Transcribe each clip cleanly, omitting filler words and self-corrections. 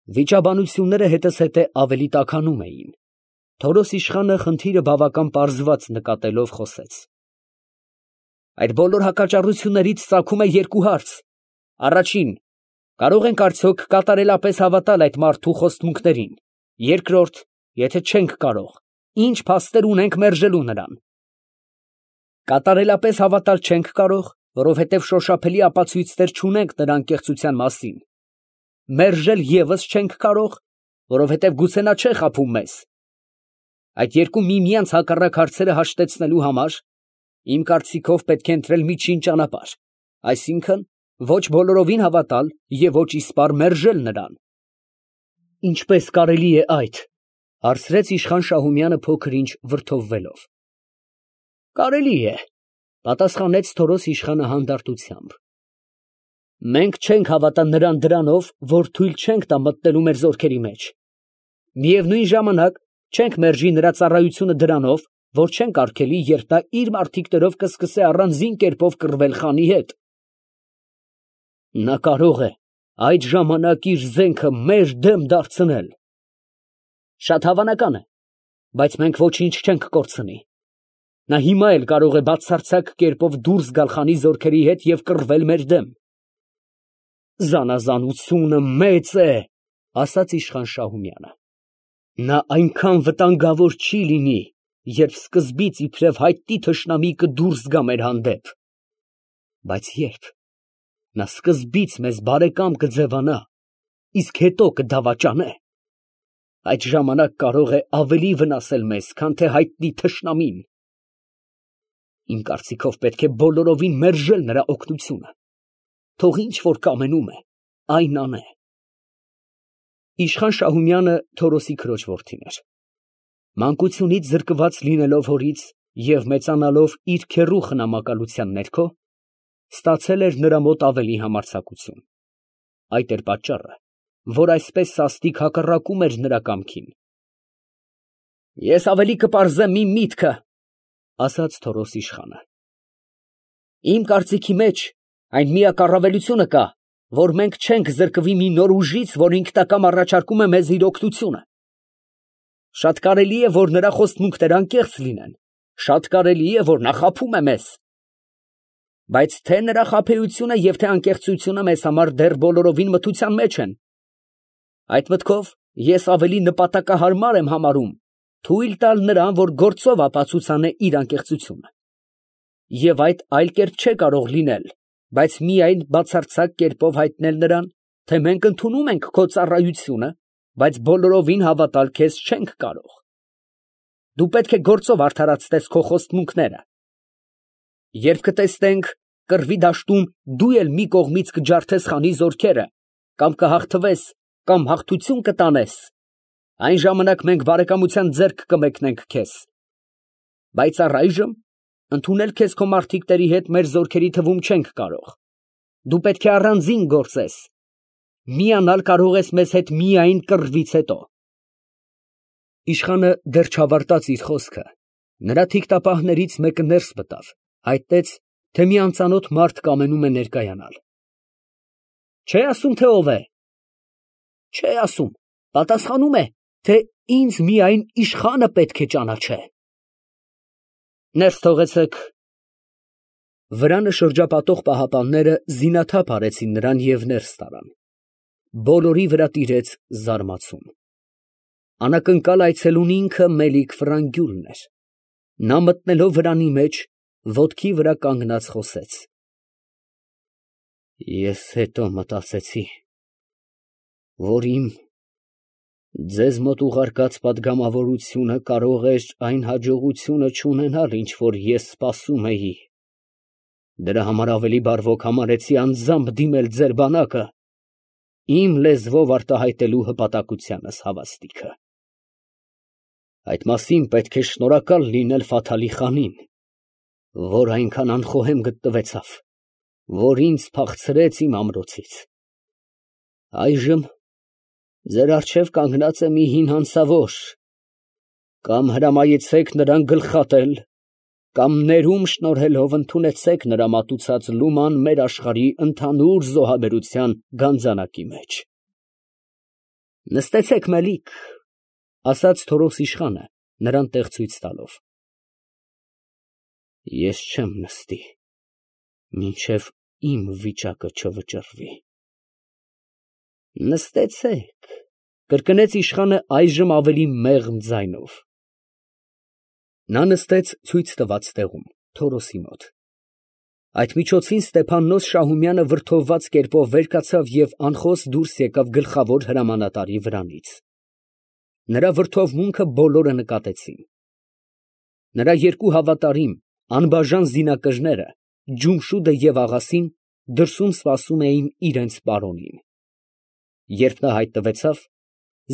Վիճաբանությունները հետզհետե ավելի տաքանում էին։ Թորոս իշխանը խնդիրը բավական պարզված նկատելով խոսեց. Այդ բոլոր հակաճառություններից ծագում է երկու հարց. առաջին, կարող ենք արդյոք կատարելապես հավատալ այդ մարդու խոստմունքներին. երկրորդ, եթե չենք կարող, ինչ փաստեր ունենք մերժելու նրան։ Կատարելապես հավատալ չենք կարող, որովհետև շոշափելի ապացույցներ չունենք նրա անկեղծության մասին։ Մերժել ևս չենք կարող, որովհետև գուցե նա չէ խաբում մեզ։ Այդ երկու միմյանց հակառակ հարցերը հաշտեցնելու համար իմ կարծիքով պետք է ընտրել միջին ճանապարհ, այսինքն ոչ բոլորովին հավատալ և ոչ իսպառ մերժել նրան։ Ինչպես կարելի է այդ, հարցրեց իշխան Շահումյանը փոքր ինչ վրդովվելով։ Կարելի է, պատասխանեց Թորոս իշխանը հանդարտությամբ։ Մենք չենք հավատա նրան դրանով, որ թույլ չենք տա մտնելու մեր զորքերի մեջ։ Միևնույն ժամանակ չենք մերժի նրա ծառայությունը դրանով, որ չենք արգելի, երբ նա իր մարդիկներով կսկսե առանձին կերպով կռվել խանի հետ։ Նա կարող է այդ ժամանակ իր զենքը մեր դեմ դարձնել։ Շատ հավանական է, բայց մենք ոչինչ չենք կորցնի։ Նա հիմա էլ կարող է բացարձակ կերպով դուրս գալ խանի զորքերի հետ և կռվել մեր դեմ։ Զանազանությունը մեծ է, ասաց իշխան Շահումյանը։ Նա այնքան վտանգավոր չի լինի, երբ սկզբից իբրև հայտնի թշնամի կդուրս գա մեր հանդեպ։ Բայց երբ նա սկզբից մեզ բարեկամ կձևանա, իսկ հետո կդավաճանե, այդ ժամանակ կարող է ավելի վնասել մեզ, քան թե հայտնի թշնամին։ Իմ կարծիքով պետք է բոլորովին մերժել նրա օգնությունը։ Թող ինչ որ կամենում է, այն անե։ Իշխան Շահումյանը Թորոսի քրոջ որդին էր։ Մանկությունից զրկված լինելով հորից և մեծանալով իր քեռու խնամակալության ներքո, ստացել էր նրա մոտ ավելի համարձակություն։ Այդ էր պատճառը, որ այսպես սաստիկ հակառակում էր նրա կամքին։ Ես ավելի կպարզեմ իմ միտքը, ասաց Թորոս իշխանը։ Իմ կարծիքի մեջ այն միակ առավելությունը կա, որ մենք չենք զրկվի մի նոր ուժից, որ ինքնակամ առաջարկում է մեզ իր օգնությունը։ Շատ կարելի է, որ նրա խոստմունքները անկեղծ լինեն, շատ կարելի է, որ նա խաբում է մեզ։ Բայց թե նրա խաբեությունը և թե անկեղծությունը մեզ համար դեռ բոլորովին մթության մեջ են։ Այդ մտքով ես ավելի նպատակահարմար եմ համարում թույլ տալ նրան, որ գործով ապացուցանե իր անկեղծությունը։ Եվ այդ այլ կերպ չէ կարող լինել, բայց միայն բացարձակ կերպով հայտնել նրան, թե մենք ընդունում ենք քո ծառայությունը, բայց բոլորովին հավատալ քեզ չենք կարող։ Դու պետք է գործով արդարացնես քո խոստմունքները։ Երբ կտեսնենք կռվի դաշտում դու էլ մի կողմից կջարդես խանի զորքերը, կամ կհաղթվես, կամ հաղթություն կտանես, այն ժամանակ մենք բարեկամության ձեռք կմեկնենք քեզ։ Բայց առայժմ ընդունել քեզ քո մարդիկների հետ մեր զորքերի թվում չենք կարող։ Դու պետք է առանձին գործես։ Միանալ կարող ես մեզ հետ միայն կռվից հետո։ Իշխանը դեռ չավարտած իր խոսքը, նրա թիկտապահներից մեկը ներս մտավ, հայտնեց, թե մի անծանոթ մարդ կամենում է ներկայանալ։ Չէ ասում, թե ով է։ Չէ ասում, պատասխանում է, թե ինձ միայն իշխանը պետք է ճանաչե։ Ներս թողեցեք։ Վրանը շրջապատող պահապանները զինաթափ արեցին նրան և ներս տարան։ Բոլորի վրա տիրեց զարմացում։ Անակնկալ այցելուն ինքը Մելիք Ֆրանգյուլն էր։ Նա մտնելով վրանի մեջ, ոտքի վրա կանգնած խոսեց. Ես հետո մտածեցի, որ իմ ձեզ մոտ ուղարկած պատգամավորությունը կարող էր այն հաջողությունը չունենալ, ինչ որ ես սպասում էի։ Դրա համար ավելի բարվոք համարեցի անձամբ դիմել ձեր բանակը, իմ լեզվով արտահայտելու հպատակությանս հավաստիքը։ Այդ մասին պետք է շնորհակալ լինել Ֆաթալի խանին, որ այնքան անխոհեմ գտնվեցավ, որ ինձ փախցրեց իմ ամրոցից։ Այժմ ձեր առջև կանգնած է մի հին հանցավոր, կամ հրամայեցեք նրան գլխատել, կամ ներում շնորհելով ընդունեցեք նրա մատուցած լուման մեր աշխարհի ընդհանուր զոհաբերության գանձանակի մեջ։ Նստեցեք, Մելիք, ասաց Թորոս իշխանը, նրան տեղ ցույց տալով։ Ես չեմ նստի, մինչև իմ վիճակը չվճռվի։ Նստեցեք, կրկնեց իշխանը այժմ ավելի մեղմ ձայնով։ Նա նստեց ցույց տված տեղում, Թորոսի մոտ։ Այդ միջոցին Ստեփաննոս Շահումյանը վրդովված կերպով վեր կացավ և անխոս դուրս եկավ գլխավոր հրամանատարի վրանից։ Նրա վրդովմունքը բոլորը նկատեցին։ Նրա երկու հավատարիմ, անբաժան զինակրները, Ջումշուդը և Աղասին, դրսում սպասում էին իրենց պարոնին։ Երբ նա հայտնվեցավ,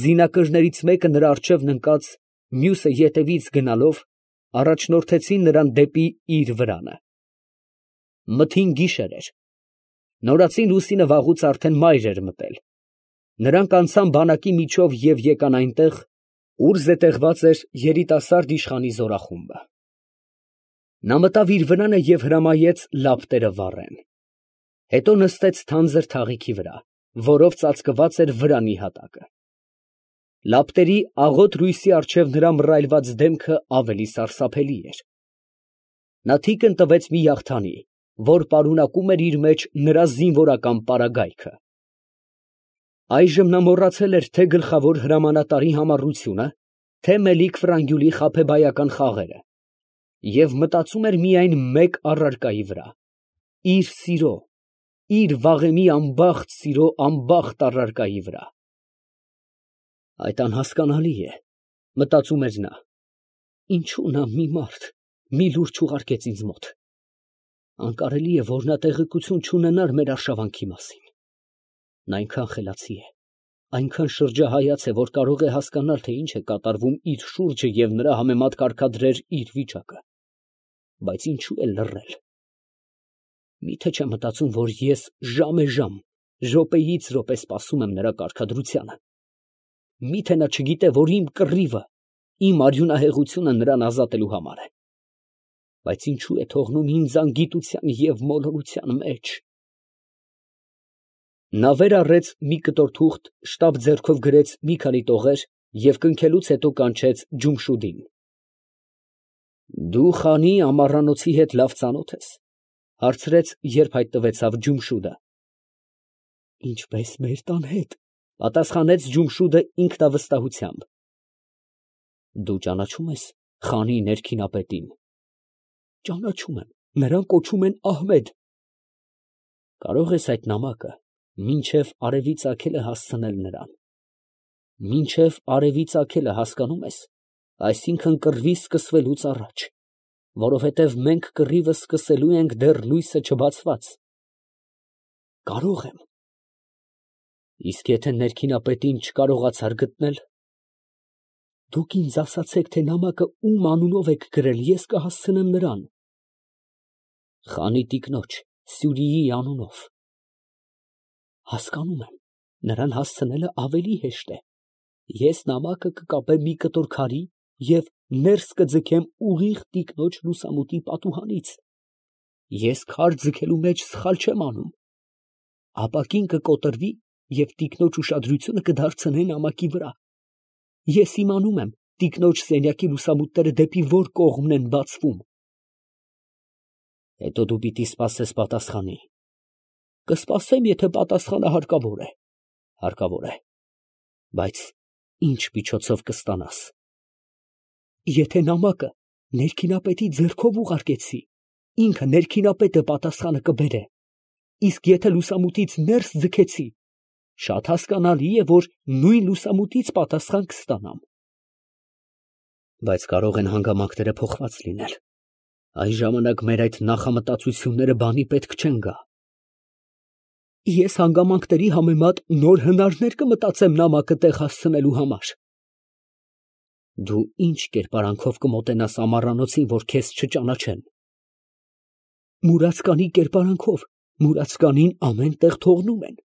զինակրներից մեկը նրա առջևն ընկած, մյուսը ետևից գնալով, առաջնորդեցին նրան դեպի իր վրանը։ Մթին գիշեր էր։ Նորածին լուսինը վաղուց արդեն մայր էր մտել։ Նրանք անցան բանակի միջով և եկան այնտեղ, ուր զետեղված էր երիտասարդ իշխանի զորախումբը։ Նա մտավ իր վրանը և հրամայեց լապտերը վառեն։ Հետո նստեց թանձր թաղիքի վրա, որով ծածկված էր վրանի հատակը։ Լապտերի աղոտ լույսի առջև նրա մռայլված դեմքը ավելի սարսափելի էր։ Նա թիկն տվեց մի աղթանի, որ պարունակում էր իր մեջ նրա զինվորական պարագայքը։ Այժմ նա մոռացել էր թե գլխավոր հրամանատարի համառությունը, թե Մելիք Ֆրանգյուլի խաբեբայական խաղերը, և մտածում էր միայն մեկ առարկայի վրա՝ իր սիրո, իր վաղեմի անբախտ սիրո անբախտ առարկայի վրա։ Այդ անհասկանալի է, մտածում էր նա, ինչու նա մի մարդ, մի լուրջ ուղարկեց ինձ մոտ։ Անկարելի է, որ նա տեղեկություն չունենար մեր արշավանքի մասին։ Նա այնքան խելացի է, այնքան շրջահայաց է, որ կարող է հասկանալ, թե ինչ է կատարվում իր շուրջը և նրա համեմատ կարգադրել իր վիճակը։ Բայց ինչու է լռել։ Միթե չէ մտածում, որ ես ժամեժամ, րոպեից րոպե սպասում եմ նրա կարգադրությանը։ Միթե նա չգիտե, որ իմ կռիվը, իմ արյունահեղությունը նրան ազատելու համար է։ Բայց ինչու է թողնում ինձ անգիտության և մոլորության մեջ։ Նա վեր առեց մի կտոր թուղթ, շտապ ձեռքով գրեց մի քանի տողեր և կնքելուց հետո կանչեց Ջումշուդին։ Դու խանի ամառանոցի հետ լավ ծանոթ ես, հարցրեց, երբ հայտնվեցավ Ջումշուդը։ Ինչպես մեր տան հետ, պատասխանեց Ջումշուդը ինքնավստահությամբ։ Դու ճանաչո՞ւմ ես խանի ներքինապետին։ Ճանաչում եմ, նրան կոչում են Ահմեդ։ Կարող ես այդ նամակը մինչև արևի ծագելը հասցնել նրան։ Մինչև արևի ծագելը, հասկանում ես, այսինքն կռվի սկսվելուց առաջ, որովհետև մենք կռիվը սկսելու ենք դեռ լույսը չբացված։ Կարող եմ։ Իսկ եթե ներքինապետին չկարողացար գտնել։ Դուք ինձ ասացեք, թե նամակը ում անունով եք գրել, ես կհասցնեմ նրան։ Խանի տիկնոջ Սյուրիի անունով։ Հասկանում եմ, նրան հասցնելը ավելի հեշտ է։ Ես նամակը կկապեմ մի կտոր քարի և ներս կձգեմ ուղիղ տիկնոջ լուսամուտի պատուհանից։ Ես քար ձգելու մեջ սխալ չեմ անում։ Ապակին կկոտրվի և տիկնոջ ուշադրությունը կդարձնե նամակի վրա։ Ես իմանում եմ տիկնոջ սենյակի լուսամուտները դեպի որ կողմն են բացվում։ Հետո դու պիտի սպասես պատասխանի։ Կսպասեմ, եթե պատասխանը հարկավոր է։ Հարկավոր է։ Բայց ինչ միջոցով կստանաս։ Եթե նամակը ներքինապետի ձեռքով ուղարկեցի, ինքը ներքինապետը պատասխանը կբերե։ Իսկ եթե լուսամուտից ներս ձգեցի, շատ հասկանալի է, որ նույն լուսամուտից պատասխան կստանամ։ Բայց կարող են հանգամանքները փոխված լինել։ Այս ժամանակ մեր այդ նախամտածությունները բանի պետք չեն գա։ Ես հանգամանքների համեմատ նոր հնարներ կմտածեմ նամակը տեղ հասցնելու համար։ Դու ինչ կերպարանքով կմոտենաս ամառանոցին, որ քեզ չճանաչեն։ Մուրացկանի կերպարանքով, մուրացկանին ամեն տեղ թողնում են։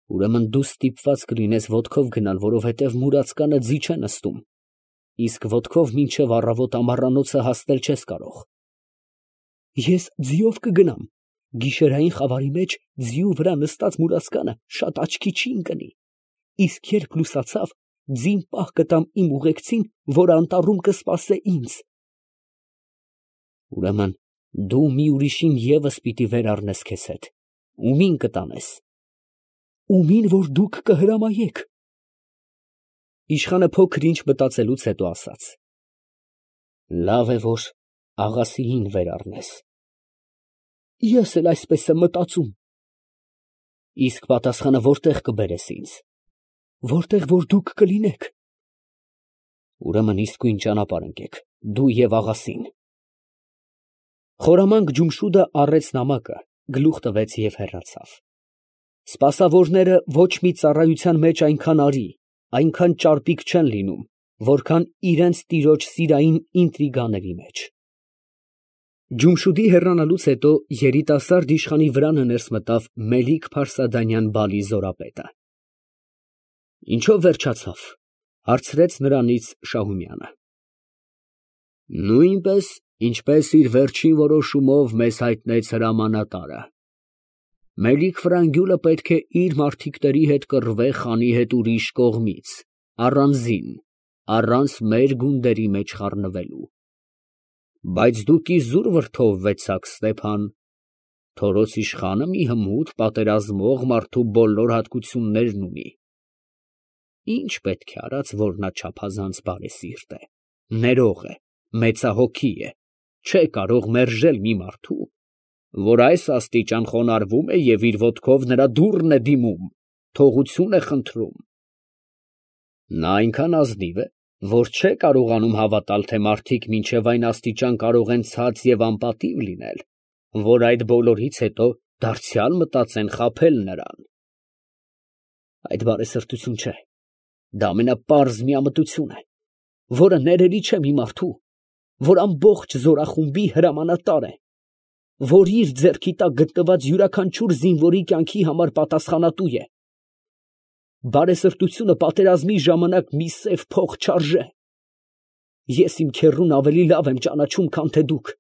Ուրեմն դու ստիպված կլինես ոտքով գնալ, որովհետև մուրացկանը ձի չէ նստում, իսկ ոտքով մինչև առավոտ ամառանոցը հասնել չես կարող։ Ես ձիով կգնամ, գիշերային խավարի մեջ ձիու վրա նստած մուրացկանը շատ աչքի չի ընկնի։ իսկ երբ լուսացավ, ձին պահ կտամ իմ ուղեկցին, որ անտառում կսպասե ինձ։ Ուրեմն դու մի ուրիշին ևս պիտի վեր առնես քեզ հետ, ումի՞ն կտանես։ Ումին, որ դուք կհրամայեք։ Իշխանը փոքր ինչ մտածելուց հետո ասաց. Լավ է, որ աղասիին վեր առնես։ Ես էլ այսպես եմ մտածում։ Իսկ պատասխանը որտեղ կբերես ինձ։ Որտեղ որ դուք կլինեք։ Ուրեմն իսկույն ճանապարհ ընկեք, դու և աղասին։ Խորամանկ Ջումշուդը առեց նամակը, գլուխ տվեց և հեռացավ։ Սպասավորները ոչ մի ծառայության մեջ այնքան արի, այնքան ճարպիկ չեն լինում, որքան իրենց տիրոջ սիրային ինտրիգաների մեջ։ Ջումշուդի հեռանալուց հետո երիտասարդ իշխանի վրանը ներս մտավ Մելիք-Փարսադանյան Բալի զորապետը։ Ինչո՞վ վերջացավ, հարցրեց նրանից Շահումյանը։ Նույնպես, ինչպես իր վերջին որոշումով մեզ հայտնեց հրամանատարը։ Մելիք֊Ֆրանգյուլը պետք է իր մարդիկների հետ կռվե խանի հետ ուրիշ կողմից, առանձին, առանց մեր գունդերի մեջ խառնվելու։ Բայց դուք իզուր վրդովվեցաք, Ստեփան, Թորոց իշխանը մի հմուտ պատերազմող մարդու բոլոր հատկություններն ունի։ Ինչ պետք է արած, որ նա չափազանց բարեսիրտ է, ներող է, մեծահոգի է, չէ կարող մերժել մի մարդու, որ այս աստիճան խոնարհվում է և իր ոտքով նրա դուռն է դիմում, թողություն է խնդրում։ Նա այնքան ազնիվ է, որ չէ կարողանում հավատալ, թե մարդիկ մինչև այն աստիճան կարող են ցած և անպատիվ լինել, որ այդ բոլորից հետո դարձյալ մտածեն խաբել նրան։ Այդ բարեսրտություն չէ, դա ամենապարզ միամտություն է, որը ներելի չէ մի մարդու, որ ամբողջ զորախումբի հրամանատար է, որ իր ձեռքի տակ գտնված յուրաքանչյուր զինվորի կյանքի համար պատասխանատու է։ Բարեսրտությունը պատերազմի ժամանակ մի սև փող չարժե։ Ես իմ քեռուն ավելի լավ եմ ճանաչում, քան թե դուք։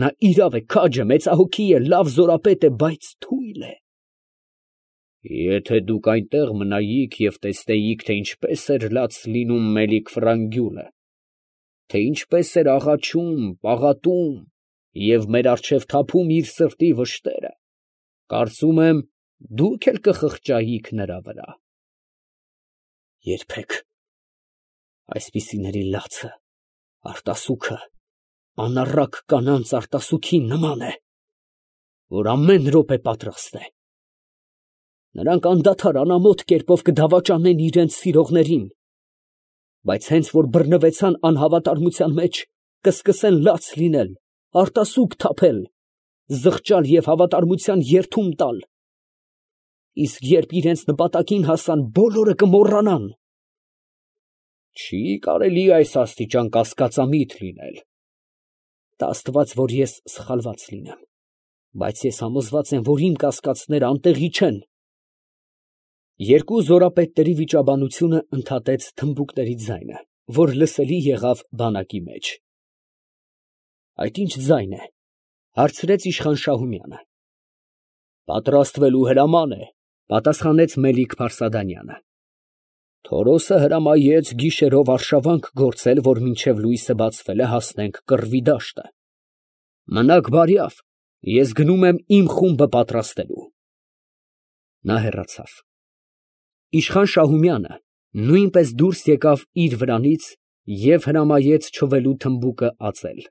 Նա իրավ է, քաջ է, մեծահոգի է, լավ զորապետ է, բայց թույլ է։ Եթե դուք այնտեղ մնայիք և տեսնեիք, թե ինչպես էր լաց լինում Մելիք֊Ֆրանգյուլը, թե ինչպես էր աղաչում, պաղատում և մեր առջև թափում իր սրտի վշտերը, կարծում եմ, դուք էլ կխղճայիք նրա վրա։ Երբեք այսպիսիների լացը, արտասուքը անառակ կանանց արտասուքին նման է, որ ամեն րոպե պատրաստ է։ Նրանք անդադար անամոթ կերպով կդավաճանեն իրենց սիրողներին, բայց հենց որ բռնվեցան անհավատարմության մեջ, կսկսեն լաց լինել, արտասուք թափել, զղջալ և հավատարմության երդում տալ, իսկ երբ իրենց նպատակին հասան, բոլորը կմոռանան։ Չի կարելի այս աստիճան կասկածամիտ լինել։ Տա Աստված, որ ես սխալված լինեմ, բայց ես համոզված եմ, որ իմ կասկածները անտեղի չեն։ Երկու զորապետների վիճաբանությունը ընդհատեց թմբուկների ձայնը, որ լսելի եղավ բանակի մեջ։ Այդ ինչ ձայն է, հարցրեց իշխան Շահումյանը։ Պատրաստվելու հրաման է, պատասխանեց Մելիք-Փարսադանյանը։ Թորոսը հրամայեց գիշերով արշավանք գործել, որ մինչև լույսը բացվել է հասնենք Կռվի դաշտը։ Մնաք բարյավ, ես գնում եմ իմ խումբը պատրաստելու։ Նա հեռացավ։ Իշխան Շահումյանը նույնպես դուրս եկավ իր վրանից և հրամայեց չվելու թմբուկը ածել։